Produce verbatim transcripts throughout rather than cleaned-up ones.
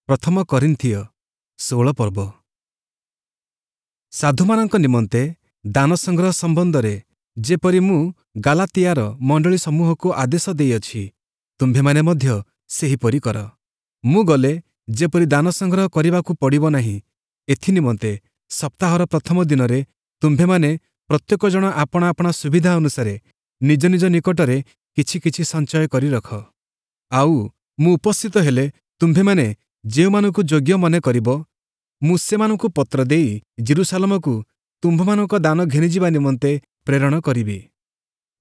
ପ୍ରଥମ କରିନ୍ଥୀୟ ଷୋହଳ ପର୍ବ। ସାଧୁମାନଙ୍କ ନିମନ୍ତେ ଦାନ ସଂଗ୍ରହ ସମ୍ବନ୍ଧରେ ଯେପରି ମୁଁ ଗାଲାତିଆର ମଣ୍ଡଳୀ ସମୂହକୁ ଆଦେଶ ଦେଇଅଛି, ତୁମ୍ଭେମାନେ ମଧ୍ୟ ସେହିପରି କର। ମୁଁ ଗଲେ ଯେପରି ଦାନ ସଂଗ୍ରହ କରିବାକୁ ପଡ଼ିବ ନାହିଁ, ଏଥିନିମନ୍ତେ ସପ୍ତାହର ପ୍ରଥମ ଦିନରେ ତୁମ୍ଭେମାନେ ପ୍ରତ୍ୟେକ ଜଣ ଆପଣା ଆପଣା ସୁବିଧା ଅନୁସାରେ ନିଜ ନିଜ ନିକଟରେ କିଛି କିଛି ସଞ୍ଚୟ କରି ରଖ। ଆଉ ମୁଁ ଉପସ୍ଥିତ ହେଲେ ତୁମ୍ଭେମାନେ ଯେଉଁମାନଙ୍କୁ ଯୋଗ୍ୟ ମନେ କରିବ, ମୁଁ ସେମାନଙ୍କୁ ପତ୍ର ଦେଇ ଯିରୂଶାଲମକୁ ତୁମ୍ଭମାନଙ୍କ ଦାନ ଘେନିଯିବା ନିମନ୍ତେ ପ୍ରେରଣ କରିବି।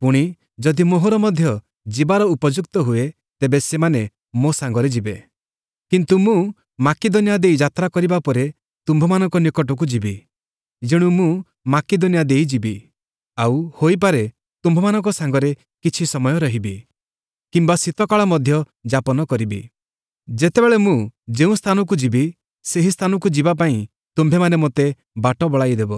ପୁଣି ଯଦି ମୋହର ମଧ୍ୟ ଯିବାର ଉପଯୁକ୍ତ ହୁଏ, ତେବେ ସେମାନେ ମୋ ସାଙ୍ଗରେ ଯିବେ। କିନ୍ତୁ ମୁଁ ମାକିଦନିଆ ଦେଇ ଯାତ୍ରା କରିବା ପରେ ତୁମ୍ଭମାନଙ୍କ ନିକଟକୁ ଯିବି। ଯେଣୁ ମୁଁ ମାକିଦନିଆ ଦେଇ ଯିବି, ଆଉ ହୋଇପାରେ ତୁମ୍ଭମାନଙ୍କ ସାଙ୍ଗରେ କିଛି ସମୟ ରହିବି, କିମ୍ବା ଶୀତକାଳ ମଧ୍ୟ ଯାପନ କରିବି। ଯେତେବେଳେ ମୁଁ ଯେଉଁ ସ୍ଥାନକୁ ଯିବି, ସେହି ସ୍ଥାନକୁ ଯିବା ପାଇଁ ତୁମ୍ଭେମାନେ ମୋତେ ବାଟ ବଳାଇଦେବ।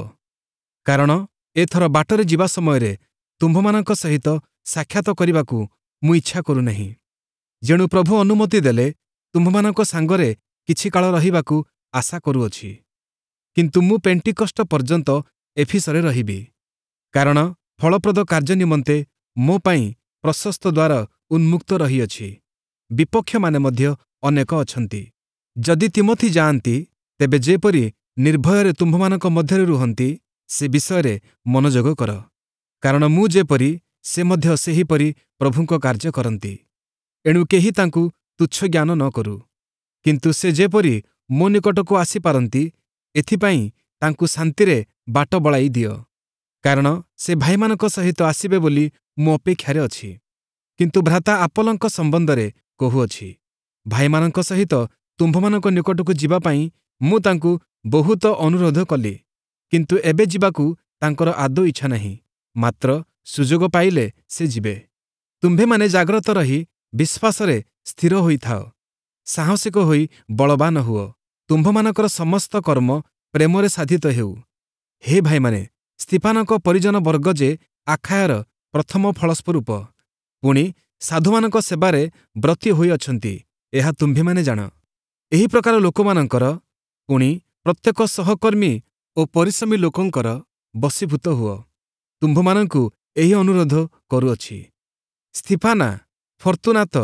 କାରଣ ଏଥର ବାଟରେ ଯିବା ସମୟରେ ତୁମ୍ଭମାନଙ୍କ ସହିତ ସାକ୍ଷାତ କରିବାକୁ ମୁଁ ଇଚ୍ଛା କରୁନାହିଁ। ଯେଣୁ ପ୍ରଭୁ ଅନୁମତି ଦେଲେ ତୁମ୍ଭମାନଙ୍କ ସାଙ୍ଗରେ କିଛି କାଳ ରହିବାକୁ ଆଶା କରୁଅଛି। କିନ୍ତୁ ମୁଁ ପେଣ୍ଟିକଷ୍ଟ ପର୍ଯ୍ୟନ୍ତ ଏଫିସରେ ରହିବି, କାରଣ ଫଳପ୍ରଦ କାର୍ଯ୍ୟ ନିମନ୍ତେ ମୋ ପାଇଁ ପ୍ରଶସ୍ତ ଦ୍ୱାର ଉନ୍ମୁକ୍ତ ରହିଅଛି, ବିପକ୍ଷମାନେ ମଧ୍ୟ ଅନେକ ଅଛନ୍ତି। ଯଦି ତୀମଥି ଯାଆନ୍ତି, ତେବେ ଯେପରି ନିର୍ଭୟରେ ତୁମ୍ଭମାନଙ୍କ ମଧ୍ୟରେ ରୁହନ୍ତି, ସେ ବିଷୟରେ ମନୋଯୋଗ କର। କାରଣ ମୁଁ ଯେପରି, ସେ ମଧ୍ୟ ସେହିପରି ପ୍ରଭୁଙ୍କ କାର୍ଯ୍ୟ କରନ୍ତି। ଏଣୁ କେହି ତାଙ୍କୁ ତୁଚ୍ଛ ଜ୍ଞାନ ନ କରୁ। କିନ୍ତୁ ସେ ଯେପରି ମୋ ନିକଟକୁ ଆସିପାରନ୍ତି, ଏଥିପାଇଁ ତାଙ୍କୁ ଶାନ୍ତିରେ ବାଟ ବଳାଇ ଦିଅ। କାରଣ ସେ ଭାଇମାନଙ୍କ ସହିତ ଆସିବେ ବୋଲି ମୁଁ ଅପେକ୍ଷାରେ ଅଛି। କିନ୍ତୁ ଭ୍ରାତା ଆପୋଲଙ୍କ ସମ୍ବନ୍ଧରେ କହୁଅଛି, ଭାଇମାନଙ୍କ ସହିତ ତୁମ୍ଭମାନଙ୍କ ନିକଟକୁ ଯିବା ପାଇଁ ମୁଁ ତାଙ୍କୁ ବହୁତ ଅନୁରୋଧ କଲି, କିନ୍ତୁ ଏବେ ଯିବାକୁ ତାଙ୍କର ଆଦୌ ଇଚ୍ଛା ନାହିଁ, ମାତ୍ର ସୁଯୋଗ ପାଇଲେ ସେ ଯିବେ। ତୁମ୍ଭେମାନେ ଜାଗ୍ରତ ରହି ବିଶ୍ୱାସରେ ସ୍ଥିର ହୋଇଥାଅ, ସାହସିକ ହୋଇ ବଳବାନ ହୁଅ। ତୁମ୍ଭମାନଙ୍କର ସମସ୍ତ କର୍ମ ପ୍ରେମରେ ସାଧିତ ହେଉ। ହେ ଭାଇମାନେ, ସ୍ତିଫାନଙ୍କ ପରିଜନବର୍ଗ ଯେ ଆଖାୟାର ପ୍ରଥମ ଫଳସ୍ୱରୂପ, ପୁଣି ସାଧୁମାନଙ୍କ ସେବାରେ ବ୍ରତୀ ହୋଇଅଛନ୍ତି, ଏହା ତୁମ୍ଭେମାନେ ଜାଣ। ଏହି ପ୍ରକାର ଲୋକମାନଙ୍କର ପୁଣି ପ୍ରତ୍ୟେକ ସହକର୍ମୀ ଓ ପରିଶ୍ରମୀ ଲୋକଙ୍କର ବଶୀଭୂତ ହୁଅ। ତୁମ୍ଭମାନଙ୍କୁ ଏହି ଅନୁରୋଧ କରୁଅଛି। ସ୍ତିଫାନା, ଫର୍ତ୍ତୁନାତ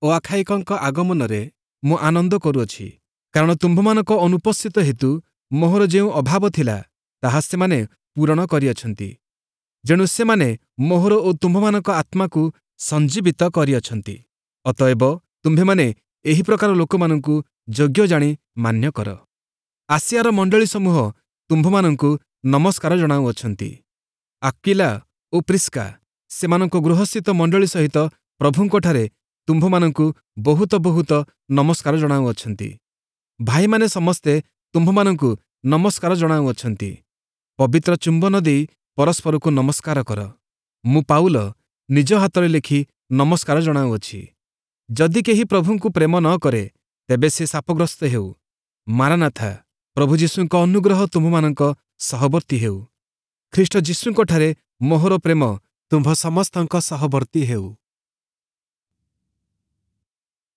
ଓ ଆଖାଇକଙ୍କ ଆଗମନରେ ମୁଁ ଆନନ୍ଦ କରୁଅଛି, କାରଣ ତୁମ୍ଭମାନଙ୍କ ଅନୁପସ୍ଥିତ ହେତୁ ମୋହର ଯେଉଁ ଅଭାବ ଥିଲା, ତାହା ସେମାନେ ପୂରଣ କରିଅଛନ୍ତି। ଯେଣୁ ସେମାନେ ମୋହର ଓ ତୁମ୍ଭମାନଙ୍କ ଆତ୍ମାକୁ ସଞ୍ଜୀବିତ କରିଅଛନ୍ତି। ଅତଏବ ତୁମ୍ଭେମାନେ ଏହି ପ୍ରକାର ଲୋକମାନଙ୍କୁ ଯୋଗ୍ୟ ଜାଣି ମାନ୍ୟ କର। ଆସିଆର ମଣ୍ଡଳୀ ସମୂହ ତୁମ୍ଭମାନଙ୍କୁ ନମସ୍କାର ଜଣାଉଅଛନ୍ତି। ଆକ୍ୱିଲା ଓ ପ୍ରିସ୍କା ସେମାନଙ୍କ ଗୃହସ୍ଥିତ ମଣ୍ଡଳୀ ସହିତ ପ୍ରଭୁଙ୍କଠାରେ ତୁମ୍ଭମାନଙ୍କୁ ବହୁତ ବହୁତ ନମସ୍କାର ଜଣାଉଅଛନ୍ତି। ଭାଇମାନେ ସମସ୍ତେ ତୁମ୍ଭମାନଙ୍କୁ ନମସ୍କାର ଜଣାଉଅଛନ୍ତି। ପବିତ୍ର ଚୁମ୍ବନ ଦେଇ ପରସ୍ପରକୁ ନମସ୍କାର କର। ମୁଁ ପାଉଲ ନିଜ ହାତରେ ଲେଖି ନମସ୍କାର ଜଣାଉଅଛି। ଯଦି କେହି ପ୍ରଭୁଙ୍କୁ ପ୍ରେମ ନ କରେ, ତେବେ ସେ ଶାପଗ୍ରସ୍ତ ହେଉ। ମାରାନାଥା, ପ୍ରଭୁ ଯୀଶୁଙ୍କ ଅନୁଗ୍ରହ ତୁମ୍ଭମାନଙ୍କ ସହବର୍ତ୍ତୀ ହେଉ। ଖ୍ରୀଷ୍ଟ ଯୀଶୁଙ୍କଠାରେ ମୋହର ପ୍ରେମ ତୁମ୍ଭ ସମସ୍ତଙ୍କ ସହବର୍ତ୍ତୀ ହେଉ।